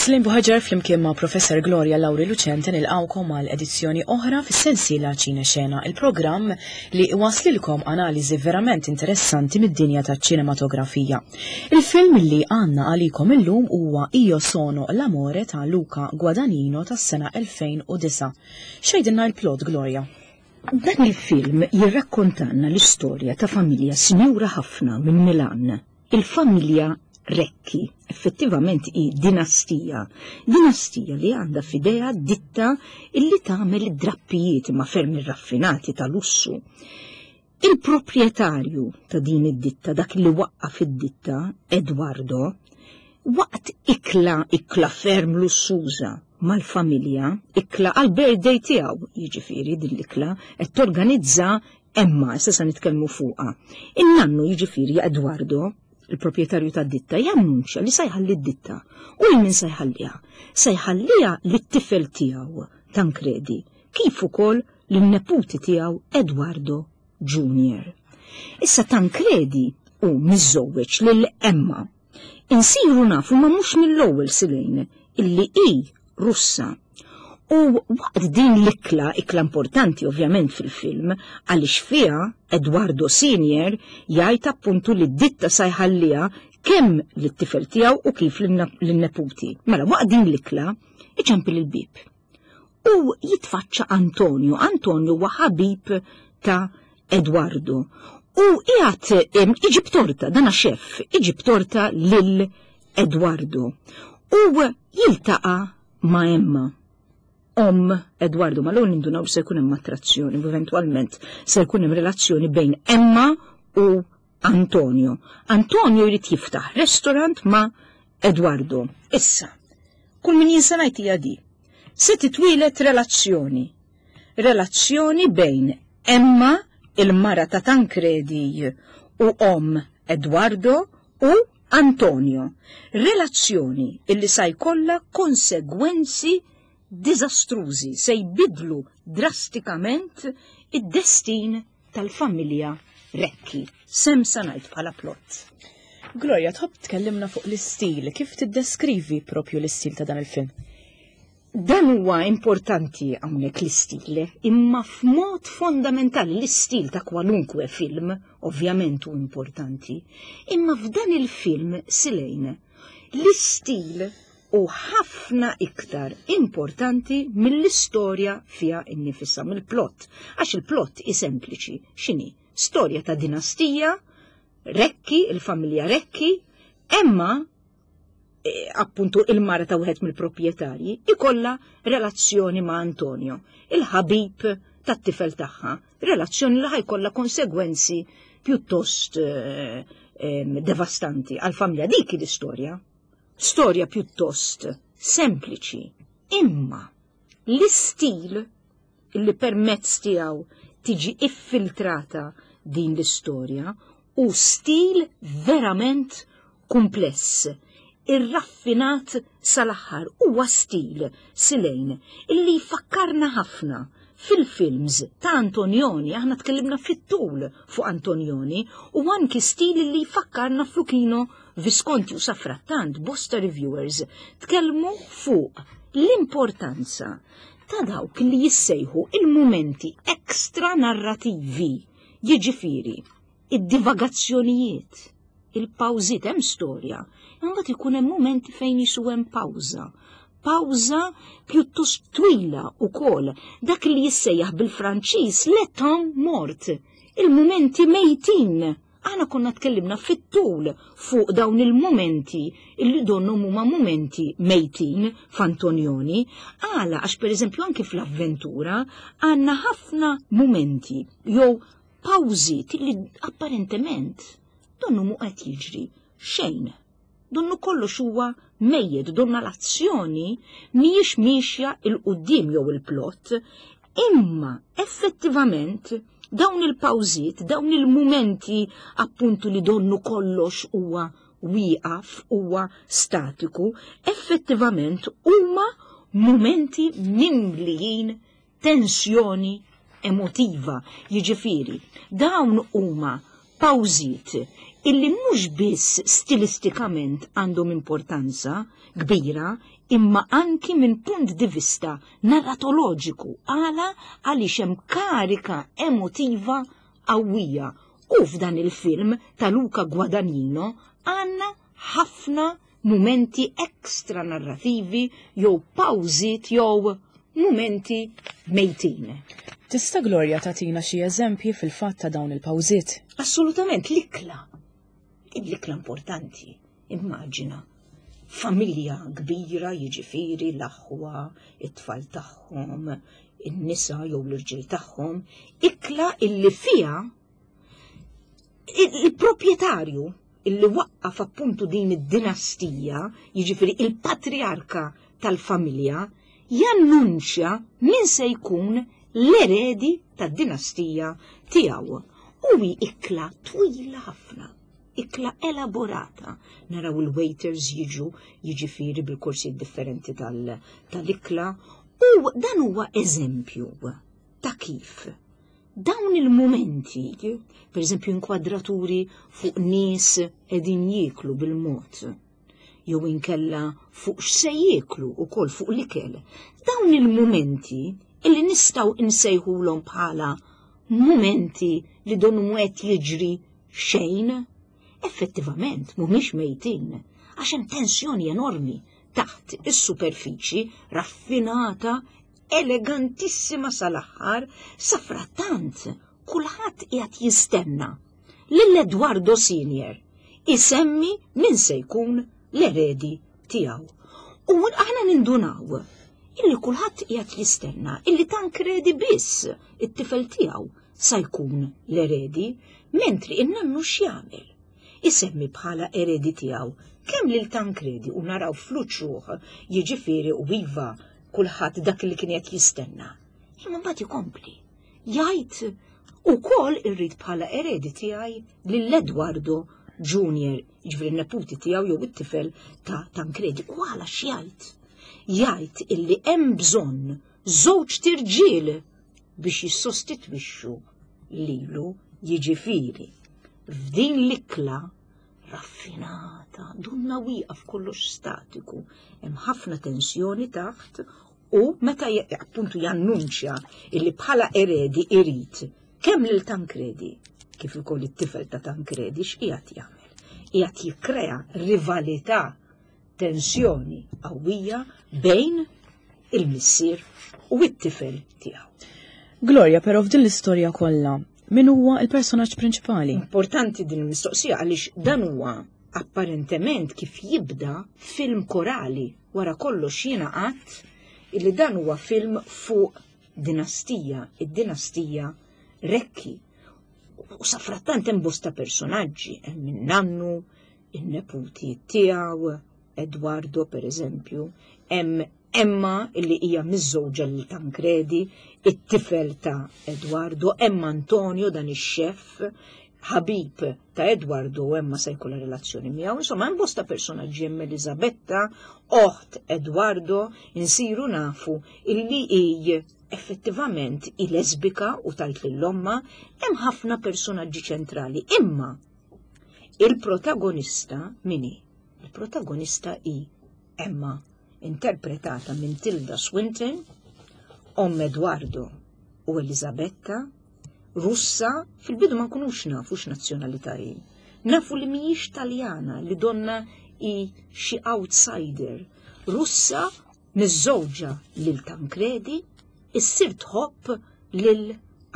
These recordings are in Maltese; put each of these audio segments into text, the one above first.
Slim Buħaġar flimkien ma' Professor Gloria Lauri Lucente nilqawkom għal edizzjoni oħra fis-sensiela Ċine Xena, il-programm li waslilkom analiżi verament interessanti mid-dinja taċ-ċinematografija. Il-film li għandna għalikom illum huwa Io Sono l'Amore ta' Luca Guadagnino tas-sena 2009. X'għidilna l-plot, Gloria? Dan il-film jirrakkontanna l-istorja ta' familja sinjura ħafna minn Milan, il-familja Recchi. Effettivament hi dinastija. Dinastija li għandha f'idejha ditta illi tagħmel id-drappijiet imma ferm irraffinati ta' lussu. Il-proprjetarju ta' din id-ditta, dak li waqqaf id-ditta, Eduardo, waqt ikla, ikla ferm lussuża mal-familja, ikla għall-birthday tiegħu, jiġifieri din l-ikla qed torganizza Emma, issa se nitkellmu fuqha. In-nannu jiġifieri Eduardo, il-proprjetarju tad-ditta, jannunċja li se jħalli d-ditta. U lil min se jħalliha? Se jħalliha lit-tifel tiegħu Tancredi, kif ukoll lin-neputi tiegħu Eduardo Junior. Issa Tancredi hu miżżewweġ lil Emma. Insiru nafu ma mhux mill-ewwel Silene illi hi Russa. U waqt din l-ikla, ikla importanti ovvjament fil-film, għaliex fiha Eduardo Senior jgħid appuntu li d-ditta sa jħalliha kemm lit-tifel tiegħu u kif lin-neputi. Mela waqt din l-ikla iċempel il-bieb. U jitfaċċa Antonio. Antonio huwa ħabib ta' Eduardo. U qiegħed iġib torta, dana xef, iġib torta lil Eduardo. U jiltaqa' ma' Emma. Omm Eduardo, ma l-ewwel nindunaw se jkun hemm attrazzjoni, u eventwalment se jkun hemm relazzjoni bejn Emma u Antonio. Antonio jrid jiftaħ restaurant ma' Eduardo. Issa, kull min jinsa ngħid hija di. Se titwielet relazzjoni. Relazzjoni bejn Emma, il-mara ta' Tancredi u omm Eduardo u Antonio. Relazzjoni illi sa jkollha konsegwenzi diżastrużi, se jbidlu drastikament id-destin tal-familja Recchi. Sem sa ngħid bħala plot. Gloria, tħobb tkellimna fuq l-istil, kif tiddeskrivi propju l-istil ta' dan il-film? Dan huwa importanti hawnhekk l-istil, imma f'mod fondamentali l-istil ta' kwalunkwe film ovvjament hu importanti, imma f'dan il-film Silejn l-istil hu ħafna iktar importanti mill-istorja fiha nnifisha, mill-plot, għax il-plot hi sempliċi, x'inhi? Storja ta' dinastija, Recchi, il-familja Recchi, Emma, e, appuntu il-mara ta' wieħed mill-proprjetarji, ikollha relazzjoni ma' Antonio, il-ħabib tat-tifel tagħha, relazzjoni li ħajkollha konsegwenzi pjuttost eh, devastanti għal-familja dik l-istorja. Storja pjuttost sempliċi, imma l-istil li permezz tiegħu tiġi iffiltrata din l-istorja hu stil verament kumpless, irraffinat sal-aħħar, huwa stil, Silejn, illi jfakkarna ħafna fil-films ta' Antonioni, aħna tkellimna fit-tul fuq Antonioni, u anki stil li jfakkarna f'Luchino Visconti u safrattant bosta reviewers tkellmu fuq l-importanza ta' dawk li jissejħu il-mumenti extra narrativi, jiġifieri id-divagazzjonijiet, il-pawżiet hemm storja, imbagħad ikun hemm mumenti fejn jisu hemm pawża. Pawża pjuttost twila wkoll, dak li jissejjaħ bil-Franċiż le temps mort, il-mumenti mejtin. Aħna konna tkellimna fit-tul fuq dawn il-mumenti illi donnhom huma mumenti mejtin f'Antonioni. Għala għax pereżempju anki fl-avventura għandna ħafna mumenti jew pawżiet li apparentement donnu mhu qed jiġri xejn. Donnu kollox huwa mejjet, donna l-azzjoni mhijiex miexja 'il quddiem jew il-plot, imma effettivament dawn il-pawżiet, dawn il-mumenti appuntu li donnu kollox huwa wieqaf, huwa statiku, effettivament huma mumenti mimlijin tensjoni emotiva. Jiġifieri, dawn huma Pawżiet illi mhux biss stilistikament għandhom importanza kbira imma anki minn punt di vista narratoloġiku għala għaliex hemm karika emotiva qawwija u f'dan il-film ta' Luca Guadagnino għandna ħafna mumenti extra narrativi jew pawżiet jew mumenti mejtin. Tista' Gloria tagħtina xi eżempji fil-fatt ta' dawn il-pawżiet? Assolutament l-ikla. L-ikla importanti, immaġina. Familja kbira jiġifieri l-aħwa, it-tfal tagħhom, in-nisa jew l-irġiel tagħhom, ikla illi fiha il-proprjetarju illi waqqaf appuntu din id-dinastija, jiġifieri il-patriarka tal-familja, jannunċja min se jkun l-eredi tad-dinastija tiegħu. U hi ikla twila ħafna, ikla elaborata. Naraw il-waiters jiġu jiġifieri bil-korsijiet differenti tal-ikla u dan huwa eżempju ta' kif Dawn il-mumenti, per eżempju inkwadraturi fuq nies qegħdin jieklu bil-mod, jew inkella fuq x'se jieklu ukoll fuq l-ikel, dawn il-mumenti illi nistgħu insejħulhom bħala mumenti li donnu mhu qed jiġri xejn, effettivament mhumiex mejtin għax hemm tensjoni enormi taħt is-superfiċi raffinata elegantissima sal-aħħar, safrattant kulħadd qiegħed jistenna lil Eduardo Senior isemmi min se jkun l-eredi tiegħu. U aħna nindunaw illi kulħadd qiegħed jistenna illi Tankredi biss it-tifel tiegħu sa jkun l-eredi, mentri in-nannu x'jagħmel? Isemmi bħala eredi tiegħu kemm lil Tankredi u naraw fl-uċuħ jiġifieri u iva kulħadd dak li kien qed jistenna. Imma mbagħad ikompli. Jgħid ukoll irrid bħala eredi tiegħi lil Eduardo Junior, jiġifieri n-neputi tiegħu jew it-tifel ta' Tankredi. U għala x'jgħid? Jgħid illi hemm bżonn żewġ tirġiel biex jissostitwixxu lilu jiġifieri. F'din l-ikla raffinata, dunna wieqaf kollox statiku, hemm ħafna tensjoni taħt u meta appuntu jannunċja illi bħala eredi irid kemm lil Tankredi kif ukoll it-tifel ta' Tankredi x'qiegħed jagħmel? Qiegħed jikkrea rivalità, tensjoni qawwija bejn il-missier u t-tifel tiegħu. Gloria, però f'din l-istorja kollha, min huwa l-personaġġ prinċipali? Importanti din il-mistoqsija għaliex dan huwa apparentement kif jibda film korali wara kollox jiena qatt illi dan huwa film fuq dinastija, id-dinastija Rekki. U safrattant hemm bosta personaġġi, hemm in-nannu, in-neputi tiegħu, Eduardo per eżempju, hemm Emma illi hija miżżewġa lil Tancredi, it-tifel ta' Eduardo, hemm Antonio dan ix-xef, ħabib ta' Eduardo u Emma se jkollha relazzjoni miegħu. Insomma, hemm bosta personaġġi hemm Elisabetta, oħt Eduardo, insiru nafu illi hi effettivament hi lesbika u tajt lil omma, hemm ħafna personaġġi ċentrali. Imma il-protagonista min hi? Il-protagonista hi Emma interpretata minn Tilda Swinton, omm Eduardo u Elisabetta, Russa, fil-bidu ma nkunux nafu x'nazzjonalità hi. Nafu li mhijiex Taljana, li donna hi xi outsider. Russa miżżewġa lil Tancredi, issir tħobb lil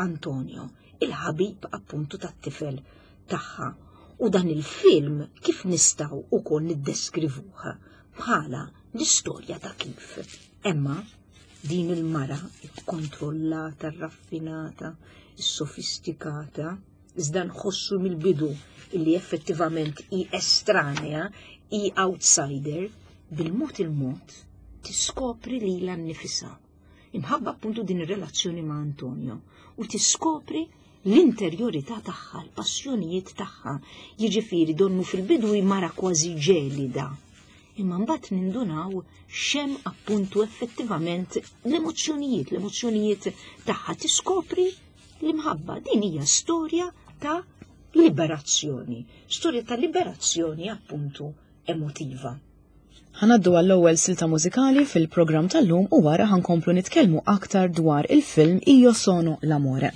Antonio, il-ħabib appuntu tat-tifel tagħha. U dan il-film kif nistgħu ukoll niddeskrivuh bħala l-istorja ta' kif Emma din il-mara ikkontrollata, raffinata, sofistikata, iżda nħossu mill-bidu illi effettivament hi estranea, hi outsider, bil-mod il-mod tiskopri lilha nnifisha. Imħabba appuntu din ir-relazzjoni ma' Antonio u tiskopri l-interjorità tagħha, l-passjonijiet tagħha, jiġifieri donnu fil-bidu hi mara kważi ġelida. Imma mbagħad nindunaw x'hemm appuntu effettivament l-emozzjonijiet, l-emozzjonijiet tagħha tiskopri l-imħabba. Din hija storja ta' liberazzjoni, storja ta' liberazzjoni appuntu emotiva. Ħanaddu għall-ewwel silta mużikali fil-programm tal-lum u wara ħankomplu nitkellmu aktar dwar il-film Io sono l'amore.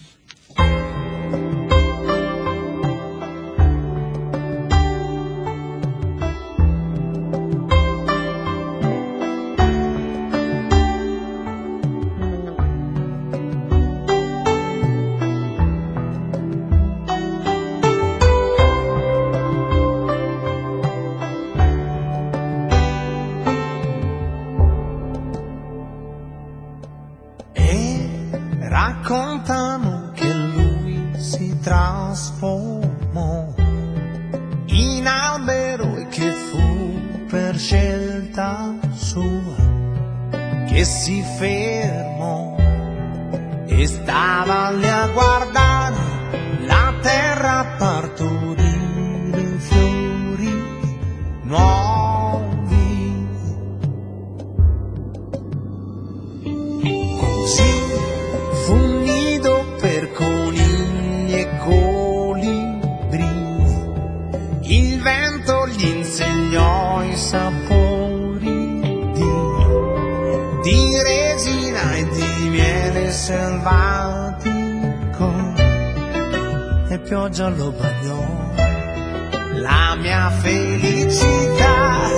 E raccontano che lui si trasformò in albero e che fu per scelta sua che si fermò e stava lì a guardare la terra partorire fiori nuovi. Così fu un nido per conigli e colibri. Il vento gli insegnò i sapori di, di resina e di miele selvatico e pioggia lo bagnò. La mia felicità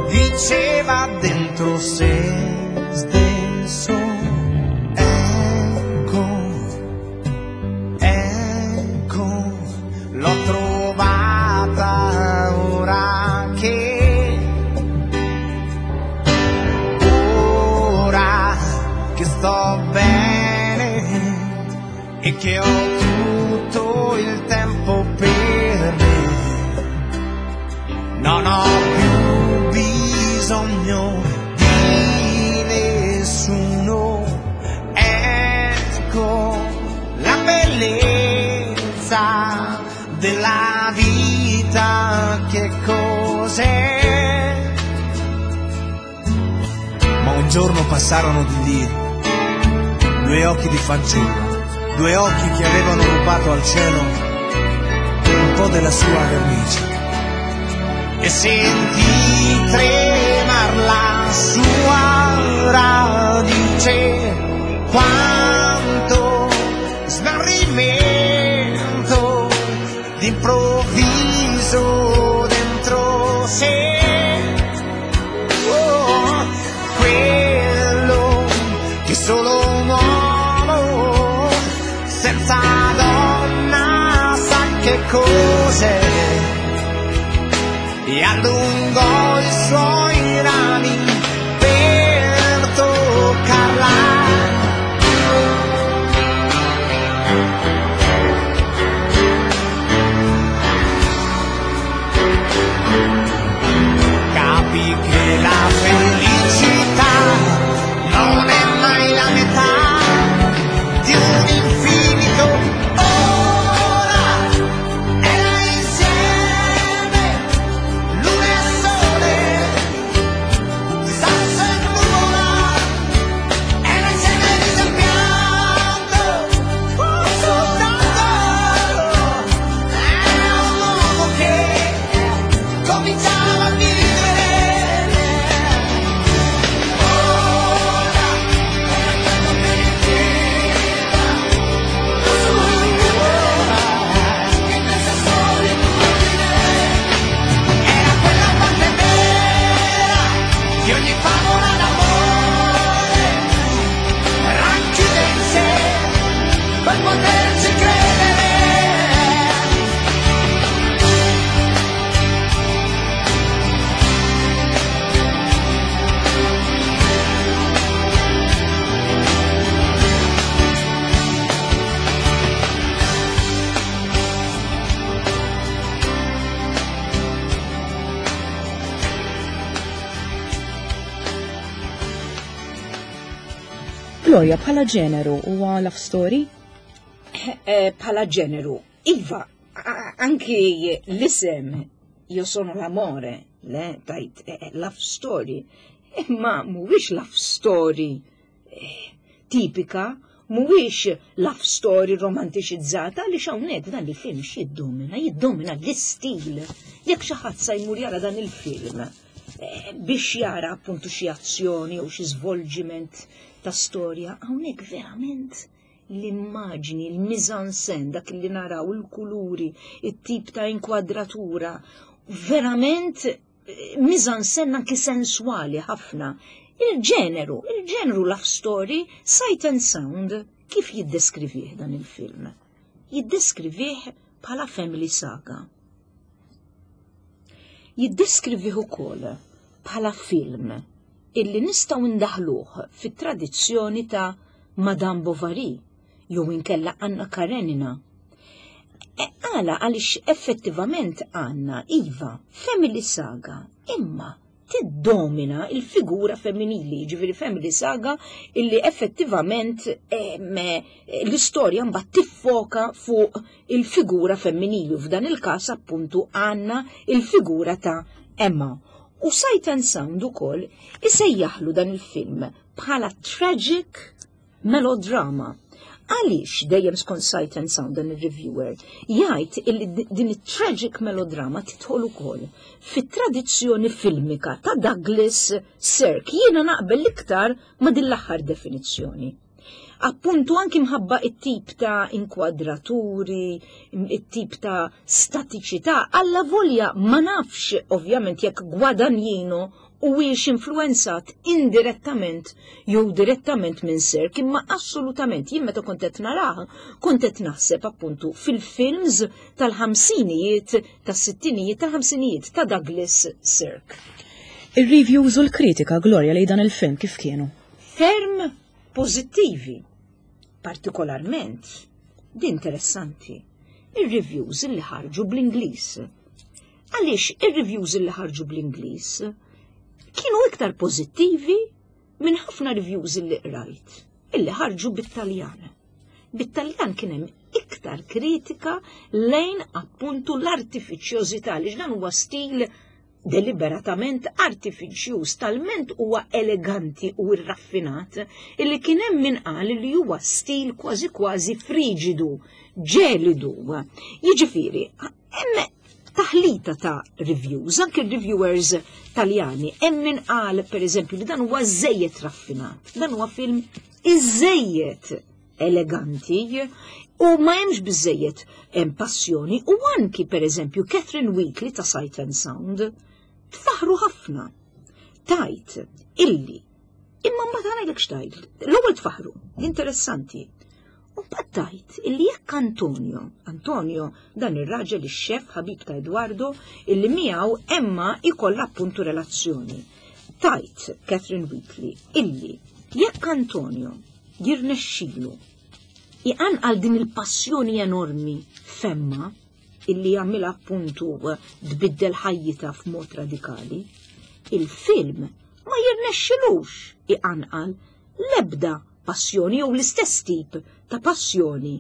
diceva dentro se stesso, ecco, ecco, l'ho trovata ora che, ora che sto bene e che ho tutto il tempo per me. Non ho più bisogno di nessuno. Ecco la bellezza della vita che cos'è. Ma un giorno passarono di lì due occhi di fanciullo, due occhi che avevano rubato al cielo un po' della sua vernice. E sentì tremar la sua radice quanto smarrimento d'improvviso dentro sé. Oh, quello che solo un uomo senza donna sa che cos'è e allungò i suoi rami per toccarla. Capì che la felicità non è mai la metà di un infinito. Ora era insieme luna e sole, sasso e nuvola, era insieme riso e pianto, soltanto era un uomo che cominciava a vivere. Ora era quello che che questa solitudine era quella parte vera di ogni favola d'amore racchiude in sé per poterci credere. Gloria, bħala ġeneru huwa love story? Eh, Bħala ġeneru, iva, anki l-isem Io sono l'amore, le, tajt, eh, love story, imma mhuwiex love story eh, tipika. mhuwiex love story romantiċizzata għaliex hawnhekk dan il-film x'jiddomina, jiddomina l-istil. Jekk xi ħadd sa jmur jara dan il-film eh, biex jara appuntu xi azzjoni jew xi żvolġiment ta' storja, hawnhekk verament l-immaġni, l-mizansen, dak li naraw, il-kuluri, it-tip ta' inkwadratura, verament eh, mizansen anki sensuali ħafna. Il-ġeneru, il-ġeneru love story, sight and sound, kif jiddeskrivih dan il-film? Jiddeskrivih bħala family saga. Jiddeskrivih ukoll bħala film illi nistgħu ndaħluh fit-tradizzjoni ta' Madame Bovary jew inkella Anna Karenina. E, għala għaliex effettivament għandna iva family saga imma tiddomina il-figura femminili, ġifieri family saga illi effettivament l-istorja mbagħad tiffoka fuq il-figura femminili u f'dan il-każ appuntu għandna il-figura ta' Emma. U Sight and Sound ukoll isejjaħlu dan il-film bħala tragic melodrama. Għaliex dejjem skont Sight and Sound dan il-reviewer jgħid illi din it-tragic melodrama tidħol ukoll fit-tradizzjoni filmika ta' Douglas Sirk. Jiena naqbel l-iktar ma' din l-aħħar definizzjoni. Appuntu anki mħabba it-tip ta' inkwadraturi, it-tip ta' statiċità, alla volja ma nafx ovvjament jekk Guadagnino huwiex influenzat indirettament jew direttament minn Sirk, imma assolutament jien meta kont qed narah, kont qed naħseb appuntu fil-films tal-ħamsinijiet, tas-sittinijiet, tal-ħamsinijiet ta' Douglas Sirk. Ir-reviews u l-kritika Gloria lejn dan il-film kif kienu? Ferm pożittivi, partikolarment, di interessanti, ir-reviews li ħarġu bl-Ingliż. Għaliex ir-reviews li ħarġu bl-Ingliż kienu iktar pożittivi minn ħafna reviews li qrajt illi ħarġu bit-Taljan. Bit-Taljan kien hemm iktar kritika lejn appuntu l-artifiċjożità li dan huwa stil deliberatament artifiċjuż talment huwa eleganti u rraffinat illi kien hemm min qal li huwa stil kważi kważi friġidu, ġelidu. Jiġifieri, hemm taħlita ta' reviews, anke reviewers taljani, hemm min qal pereżempju li dan huwa żejjed raffinat, dan huwa film iżejjed eleganti u ma hemmx biżejjed hemm passjoni u anki pereżempju Catherine Wheatley ta' Sight and Sound tfaħru ħafna. Tajt illi imma mbagħad ngħidlek x'tajt. L-ewwel tfaħru, interessanti. U mbagħad tajt illi jekk Antonio, Antonio dan ir-raġel ix-xef ħabib ta' Eduardo illi miegħu Emma ikollha appuntu relazzjoni. Tajt Catherine Wheatley illi jekk Antonio jirnexxilu iqanqal din il-passjoni enormi f'Emma illi jagħmilha appuntu tbiddel ħajjitha f'mod radikali, il-film ma jirnexxilux iqanqal l-ebda passjoni jew l-istess tip ta' passjoni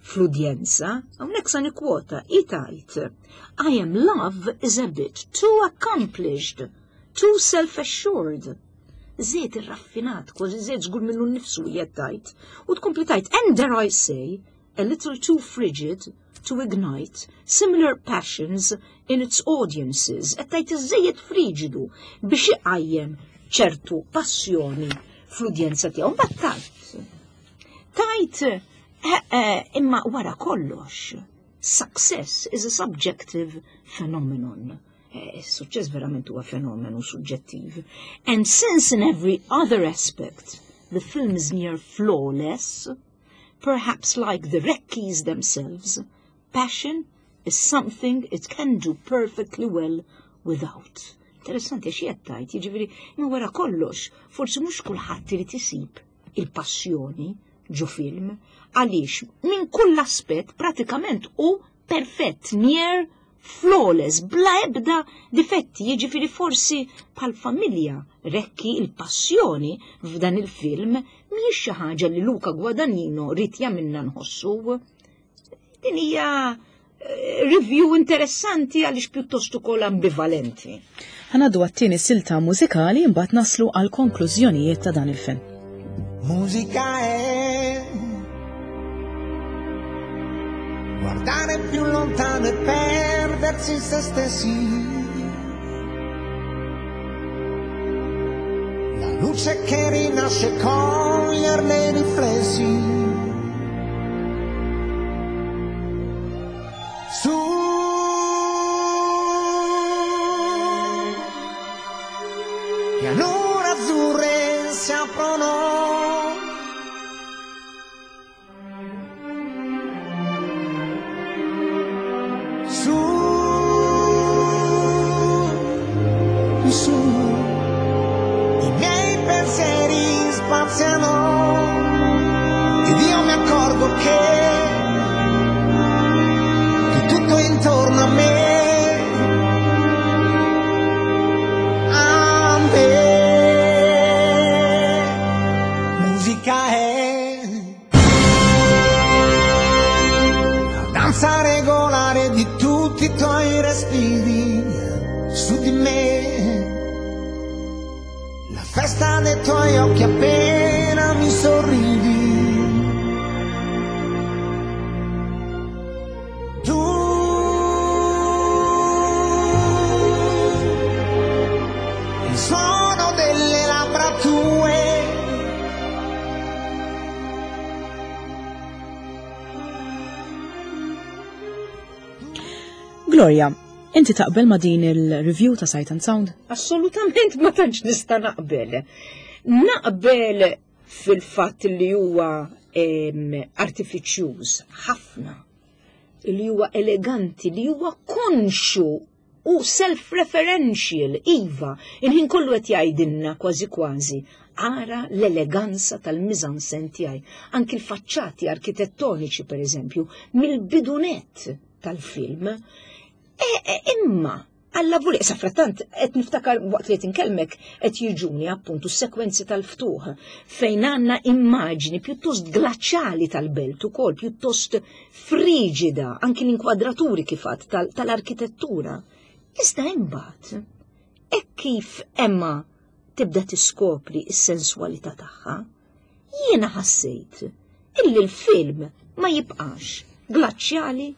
fl-udjenza. Hawnhekk sa nikkwota hi tgħid I am love is a bit too accomplished, too self-assured. Żejjed irraffinat, kważi żejjed żgur minnu nnifsu hija tgħid. U tkompli tgħid, and dare I say, a little too frigid to ignite similar passions in its audiences. Qed tgħid iżejjed friġidu biex iqajjem ċertu passjoni fl-udjenza tiegħu. Mbagħad tajt. Tajt eh, eh, imma wara kollox, success is a subjective phenomenon. Eh, is-suċċess verament huwa fenomenu suġġettiv. And since in every other aspect the film is near flawless, perhaps like the Reckies themselves, passion is something it can do perfectly well without. Interessanti xi qed tgħid, jiġifieri ma wara kollox, forsi mhux kulħadd irid isib il-passjoni ġo film, għaliex minn kull aspett pratikament hu perfett, near flawless, bla ebda difetti, jiġifieri forsi bħal familja Recchi il-passjoni f'dan il-film mhijiex xi ħaġa li Luca Guadagnino ried jagħmilna nħossu. Din hija eh, review interessanti għaliex pjuttost ukoll ambivalenti. Ħa ngħaddu għat-tieni silta mużikali imbagħad naslu għal konklużjonijiet ta' dan il-film. Musica è. Guardare più lontano e perdersi in se stessi. La luce che rinasce coglierne i riflessi. Su pianure azzurre si aprono. Su, su, i miei pensieri spaziano ed io mi accorgo che, che tutto intorno a me, a me, musica è la danza regolare di tutti i tuoi respiri su di me. La festa dei tuoi occhi appena mi sorridi. Tu, il suono delle labbra tue. Gloria, inti taqbel ma' din il-review ta' Sight and Sound? Assolutament ma tantx nista' naqbel. Naqbel fil-fatt li huwa artifiċjuż ħafna, li huwa eleganti, li huwa konxu u self-referential, iva, il-ħin kollu qed jgħidilna kważi kważi, ara l-eleganza tal-mise-en-scène tiegħi. Anki l-faċċati arkitettoniċi, per eżempju, mill-bidunet tal-film. E, e, imma, alla voli, sa frattant, qed niftakar waqt li qed inkellmek qed jiġuni appuntu s-sekwenzi tal-ftuħ fejn għandna immaġni pjuttost glaċjali tal-belt ukoll, pjuttost friġida, anki l-inkwadraturi kif għadt tal-arkitettura. Iżda imbagħad, hekk kif Emma tibda tiskopri s-senswalità tagħha, jiena ħassejt illi l-film ma jibqax glaċjali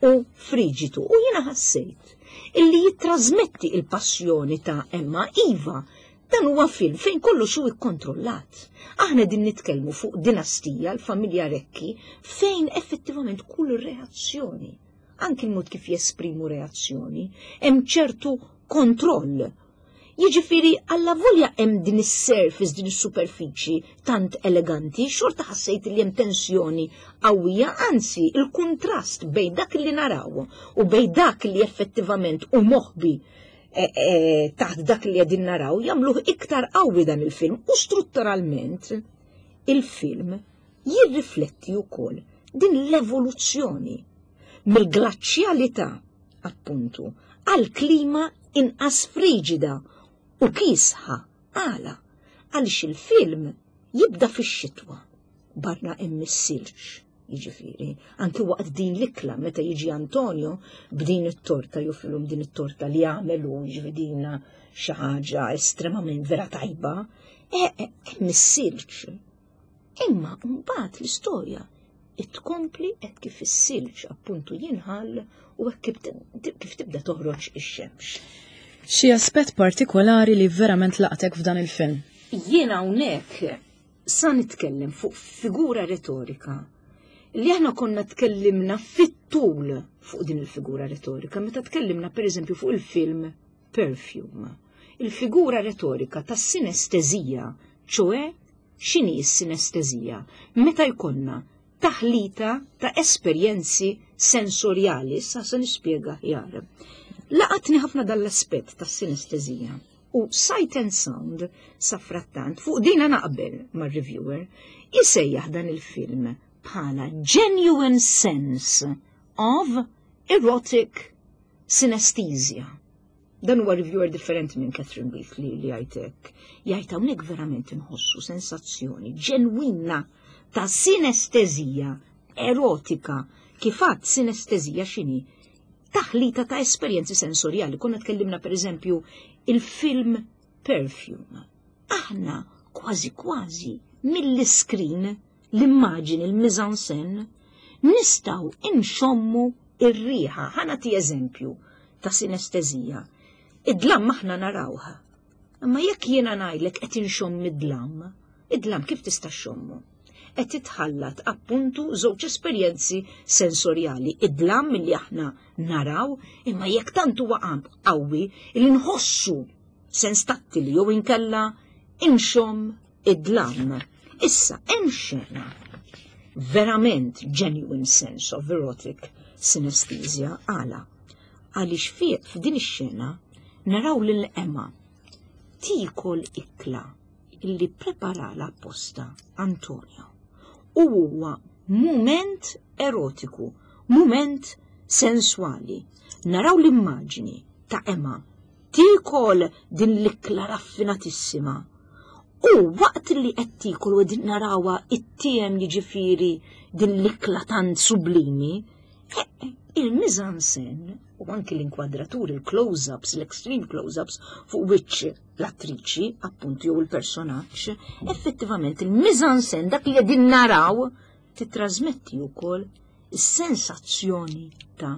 u friġitu u jiena ħassejt illi jittrażmetti il-passjoni ta' Emma. Iva, dan huwa film fejn kollox hu ikkontrollat. Aħna din nitkellmu fuq dinastija, l-familja Recchi, fejn effettivament kull reazzjoni, anki l-mod kif jesprimu reazzjoni, hemm ċertu kontroll. Jiġifieri allavolja hemm din is-surface, din is-superfiċi tant eleganti, xorta ħassejt li hemm tensjoni qawwija, anzi il-kuntrast bejn dak li naraw u bejn dak li effettivament hu moħbi e, e, taħt dak li qegħdin naraw jagħmluh iktar qawwi dan il-film u strutturalment il-film jirrifletti wkoll din l-evoluzzjoni mill-glaċjalità appuntu għal klima inqas friġida u kiesħa. Għala? Għaliex il-film jibda fix-xitwa barra hemm is-silġ. Jiġifieri, anki waqt din l-ikla meta jiġi Antonio b'din it-torta joffrilhom din it-torta li għamel hu, jiġifieri din xi ħaġa estremament vera tajba, e, e, hemm is-silġ. Imma mbagħad l-istorja tkompli hekk kif is-silġ appuntu jinħall u hekk kif tibda toħroġ ix-xemx. Xi aspett partikolari li verament laqtek f'dan il-film? Jiena hawnhekk sa nitkellem fuq figura retorika li aħna konna tkellimna fit-tul fuq din il-figura retorika meta tkellimna pereżempju fuq il-film Perfume. Il-figura retorika tas-sinestezija, ċoe x'inhi s-sinestezija? Meta jkollna taħlita ta' esperjenzi sensorjali, issa se nispjega aħjar. Laqatni ħafna dan l-aspett tas-sinestezija u Sight and Sound safrattant fuq dina naqbel mar-reviewer isejjaħ dan il-film bħala genuine sense of erotic synesthesia. Dan huwa reviewer differenti minn Catherine Wheatley li jgħid hekk. Jgħid hawnhekk verament inħossu sensazzjoni ġenwina ta' sinestezija erotika. Kif għadt sinestezija x'inhi? Taħlita ta' esperjenzi sensorjali. Konna tkellimna pereżempju il-film Perfume. Aħna kważi kważi mill-iskrin, l-immaġini, il-mise-en-scène, Nistgħu inxommu ir-riħa. Ħa nagħti eżempju ta' sinestezija. Id-dlam aħna narawh. Imma jekk jiena ngħidlek qed inxomm id-dlam, id-dlam kif tista' xommu? Qed titħallat appuntu żewġ esperjenzi sensorjali, id-dlam li aħna naraw, imma jekk tant huwa qawwi li nħossu sens tattili jew inkella inxomm id-dlam. Issa hemm xena verament genuine sense of erotic synesthesia għala. Għaliex fiq f'din ix-xena naraw lil Emma tiekol ikla illi preparala apposta Antonio. U huwa mument erotiku, mument senswali. Naraw l-immaġni ta' Emma tiekol din l-ikla raffinatissima. U waqt li qed tiekol u qegħdin narawha it-tiem jiġifieri din l-ikla tant sublimi, eh, eh, il-mizansen u anki l-inkwadraturi, il-close-ups, l-extreme close-ups fuq wiċċ l-attriċi, appuntu jew il-personaġġ, effettivament il-mizansen dak li qegħdin naraw titrasmetti wkoll is-sensazzjoni ta'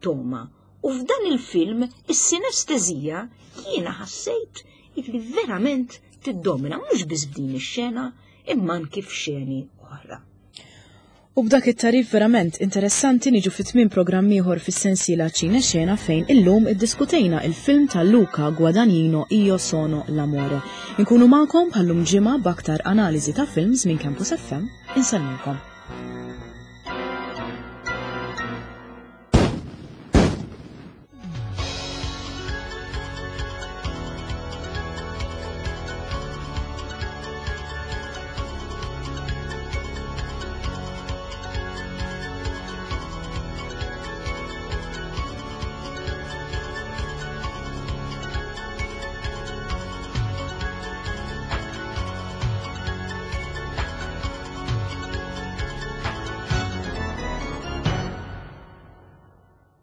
toma. U f'dan il-film is-sinestezija jiena ħassejt illi verament tiddomina mhux biss f'din ix-xena imma anki f'xeni oħra. U b'dak it-tarif verament interessanti niġu fi tmiem programm ieħor fis-sensiela Ċine Xena fejn illum iddiskutejna il-film ta' Luca Guadagnino Io Sono l'Amore. Inkunu magħkom bħallum ġimgħa b'aktar analiżi ta' films minn Campus FM. Insellmilkom.